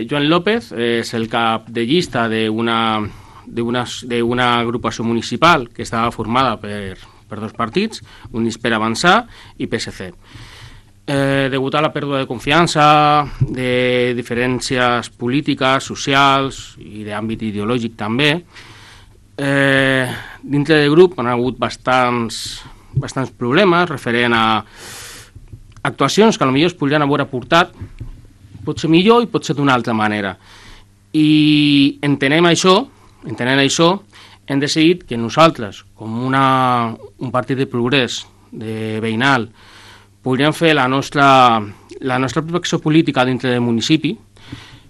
Joan López és el cap de llista d'una agrupació municipal que estava formada per dos partits, Units per Avançar i PSC. Degut a la pèrdua de confiança, de diferències polítiques, socials i d'àmbit ideològic també, dintre del grup han hagut bastants problemes referent a actuacions que potser es podrien haver aportat potser millor i potser d'una altra manera. I entenent això, hem decidit que nosaltres, com un partit de progrés, de veïnal, podríem fer la nostra protecció política dintre del municipi,